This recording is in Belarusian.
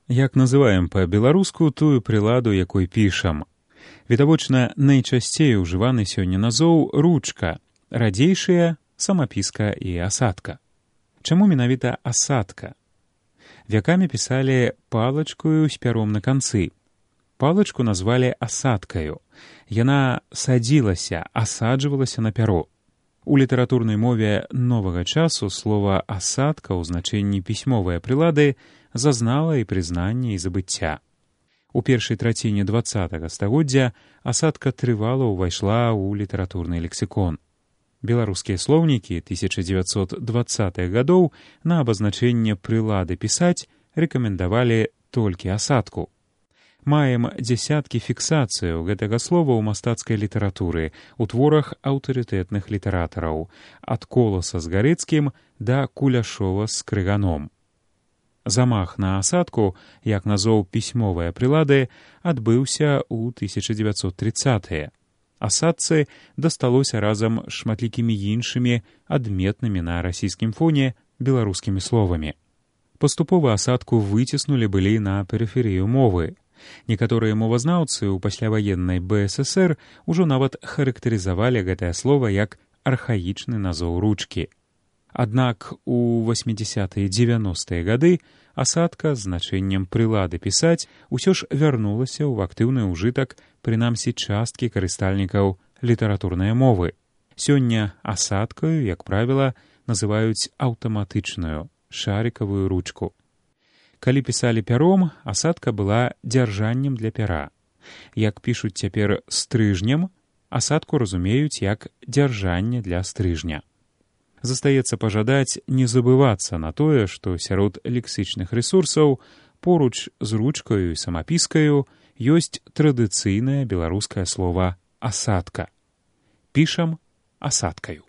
Як называем па-беларуску тую прыладу, якой пішам? Відавочна, найчасцей ужываны сёння назоў ручка, радзейшыя самапіска і асадка. Чаму менавіта асадка? Вякамі пісалі палачкою з пяром на канцы. Палачку назвалі асадкаю. Яна садзілася, асаджвалася на пяро. У літаратурнай мове новага часу слова асадка ў значэнні пісьмовыя прылады зазнала і прызнанне, і забыцця. У першай траціне 20-го стагоддзя асадка трывала ўвайшла ў літаратурны лексікон. Беларускія слоўнікі 1920-х гадоў на абазначэнне прылады пісаць рэкамендавалі толькі асадку. Маем дзясяткі фіксацыяў гэтага слова ў мастацкай літаратуры, у творах аўтарытэтных літаратараў, ад Коласа з Гарэцкім да Куляшова з Крыганом. Замах на асадку, як назоў пісьмовыя прылады, адбыўся ў 1930-е. Асадцы дасталося разам з шматлікімі іншымі адметнымі на расійскім фоне беларускімі словамі. Паступова асадку выціснулі былі на перыферыю мовы. Некаторыя мовазнаўцы ў пасляваеннай БССР ужо нават характарызавалі гэтае слова як архаічны назоў ручкі. Аднак у 80-е і 90-е гады асадка з значэннем прылады пісаць усё ж вярнулася ў актыўны ўжытак, прынамсі часткі карыстальнікаў літаратурнай мовы. Сёння асадкаю, як правіла, называюць аўтаматычную шарыкавую ручку. Калі пісалі пяром, асадка была дзяржаннем для пяра. Як пішуць цяпер стрыжнем, асадку разумеюць як дзяржанне для стрыжня. Застаецца пажадаць не забывацца на тое, што сярод лексічных рэсурсаў поруч з ручкаю і самапіскаю ёсць традыцыйнае беларускае слова «асадка». Пішам асадкаю.